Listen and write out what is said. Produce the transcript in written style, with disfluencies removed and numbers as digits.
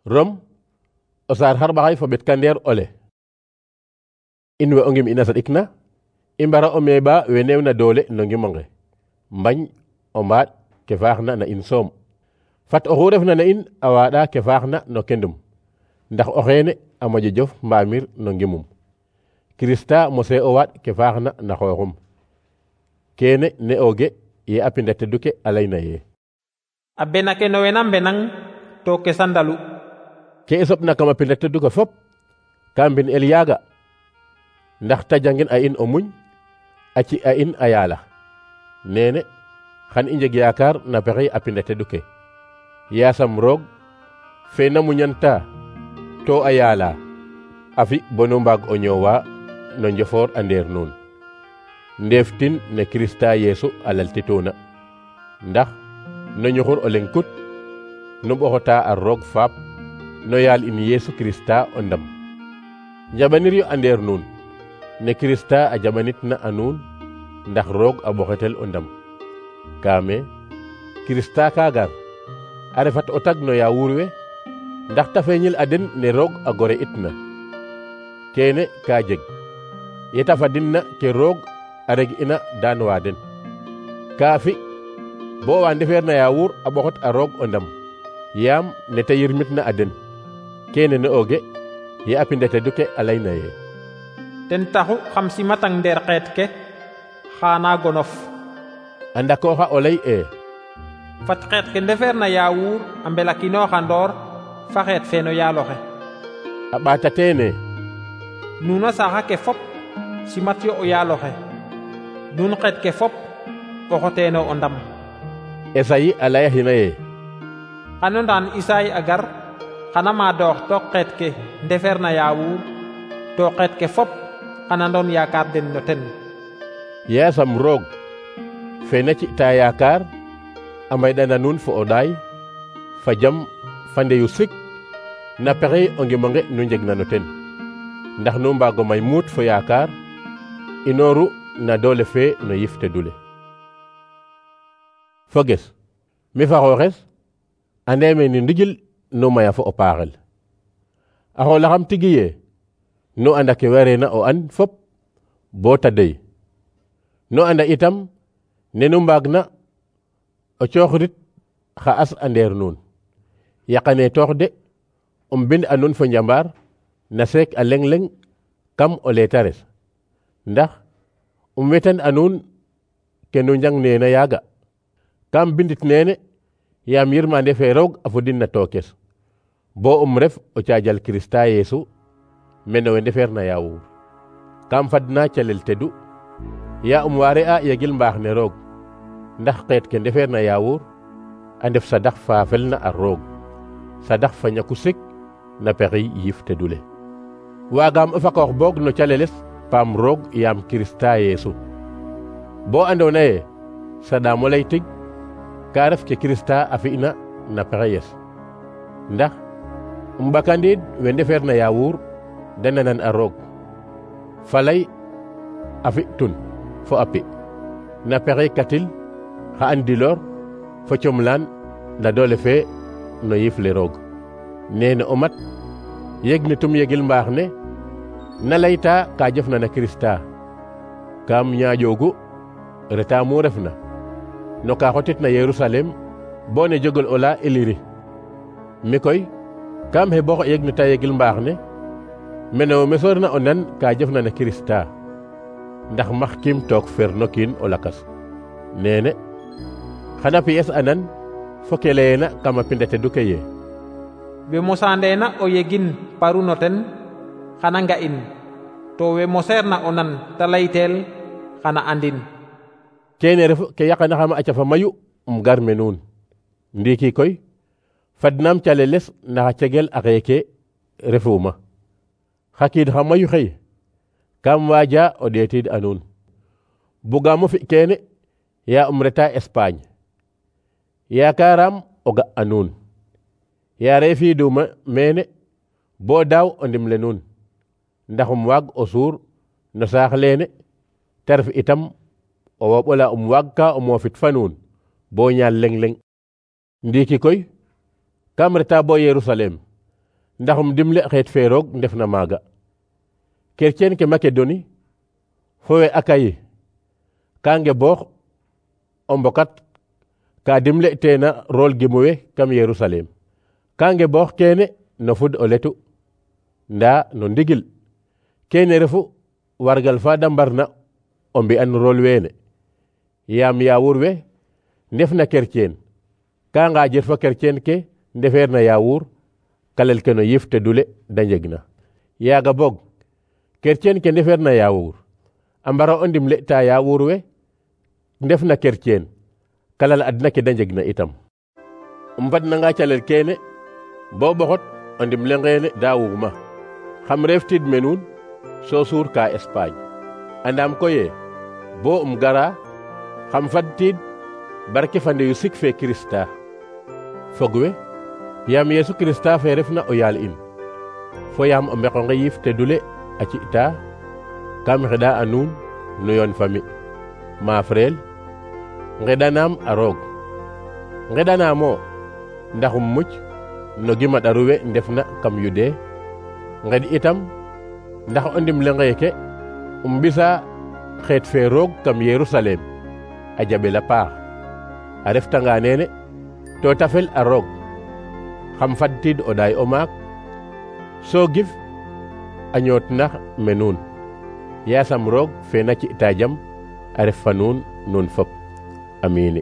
Rom o saar xarɓaxay fo ɓet kandeer ole in we o ngim ina saɗikna i mbara o meeɓa we neewna doole no ngimonge mbañ o mbaaɗ ke faaxna na in soom fat oxu refna na in a waaɗa ke faaxna no kendum ndax o xeene a moƴo jof mbaamir no ngimum Kirista mose o waaɗ ke faaxna na xooxum kene ne ooge ye a pinda teduke a layna ye a bena ke no wena mbenang to ke sandalu ke i soɓna kama pinda teduke fop ka mbin el yaaga ndax ta jangin a in o muñ a ci a in a yaala nene xan i njeg yaakaar na pexey a pinda teduke yaasam roog fe na muñanta to a yaala a fi bonu mbaag o ñoowa no njofoor a ndeer nuun ndeeftin ne Kirista Yeesu a laltituuna ndax no ñuxur o leŋ kut nu ɓoxota a roog faap no yaal in Yeesu Kirista o ndam njaɓanir yo a ndeer nuun ne Kirista a jaɓanitna a nuun ndax roog a ɓoxetel o ndam kaame Kirista ka gar a refat o tag no yaawuur we ndax ta feeñil a den ne roog a gore itna kene ka jeg yeta fadinna ke roog a reg ina daan waa den kaa fi bo wa ndefeer na yaawuur a ɓoxot a roog o ndam yaam ne te yirmitna a den kene ne ooge ye a pinda teduke a layna ye ten taxu xam simatang ndeer xeet ke xaana gonof a ndakooxa o lay fat xeet ke ndefeer na yaawuur a mbelakinooxa ndoor fa xeet fe no yaaloxe a ɓaata teene nuun a saaxa ke fop simat yo o yaaloxe nuun xeet ke fop ɓoxoteeno o ndam Esayi a layaxina ye xano ndaan Isaay a gar xana maadoox to xeet ke ndefeer na yaawuur to xeet ke fop xana ndoon yaakaar den no ten yaasam roog fe na ci'ta yaakaar a maydana nuun fo o ɗaay fa jam fa ndeyu sik na pexey o ngimonge nu njegna no ten ndax nu mbaago may muut fo yaakaar inooru na doole fe no yif tedule foges mi fa xooxes ande me ni ndigil nu maya fo o paaxel a xoolaxam tigi ye nu anda ke wareena o an fop bo ta dey nu anda itam ne nu mbaagna o cooxrit xa as a ndeer nuun yaqane toox de bind a nuun fo njambaar na seek a leŋ-leŋ kam o leetares ndax wetan a nuun ke nu njang neena yaaga kam bindit neene yaam yirmande fe roog a fudin na tookes bo ref o caajal Kirista Yeesu mene we ndefeer na yaawuur kam fadna calel tedu ya waare a yegil mbaax ne roog ndax xeet ke ndefeer na yaawuur a ndef sadax fa felna a roog sadax fa ñaku sik na pexey yif tedule waagaam o fakoox boog no caleles paam roog yaam Kirista Yeesu bo andoona ye saɗaam o lay tig ka ref ke Kirista a fi'na na pexeyes ndax ɓakandiid we ndefeer na yaawuur da nanan a roog falay a fi'tun fo a pi na pexey katil xa andiloor fo comlaan na doole fe no yif le roog nene o mat yeg ne tum yegil mbaax ne na layta ka jofna na Kirista kam ñaaƴoogu reta mu refna no ka xotitna Yerusalem bo ne jogol ola Iliri mi koy kam he bo yeg ne ta yegil mbaax ne mene me soorna o nan ka jofna na Kirista ndax maxkim took fer no kiin o lakas nene xana piyes anan fo ke leyeena kama pinda teduke ye we mosaandeena o yegin paru no ten xana nga'in to we moseerna o nan ta layteel xana andin kene refu ke yaqanaxama a cafa mayu gar me nuun ndiiki koy fadnaam caleles naxa cegel a xeeke refuma xa kiid xa mayu xey kam waaja o ɗeetiid a nuun bugaamo fi kene ya reta Espagne yaakaaraam o ga a nuun ya reefiiduma mene bo daaw o ndimle nuun ndax waag o suur no saax leene te ref itam o woɓola waagka o moofit fa nuun bo ñaal leŋ-leŋ ndiiki koy kam reta bo Yerusalem ndaxum dimle xeet fe roog ndef na maaga. Chrétien ke Macédonie fo we Akayi ka ngeboox o mbokat ka dimle teena rol gimuwe kam Yerusalem. Ka ngeboox kene no fud o letu nda no ndigil kene refu wargal fa da mbarna o mbi'an rol wene yaam yaawur we ndef na chrétien ka ngaajer fo chrétien ke ndefeer na yaawur kalel ke no yif te dule da njegna. Yaaga boog chrétien ke ndefeer na yaawur a mbara o ndimle ta yaawur we ndef na chrétien kalal adna ke da njegna itam. Mbadnanga calel kene bo boxot o ndimle ngene da wugma xam reef tiid menuun so suur ka Espagne. Andam koye bo gara xam fad tiid barke fande yu sik fe Krista fog we yaam Yesu Krista fe refna o yaal in fo yaam o mbeqo nge yif te dule a ci'ta kam xeɗa a nuun nu yoon fami ma frel ngeɗanaam a roog ngeɗanaamo ndaxum muc no gima ɗaru we ndefna kam yude ngeɗ itam ndax o ndimle ngeeke mbisa xeet fe roog kam Yerusalem a jaɓel a paax a reftanga nene to tafel a roog xam fadtiid o ɗaay o maak so gif a ñootnax me nuun yaasam roog fe na ci'ta jam a ref fa nuun nun fop amiin.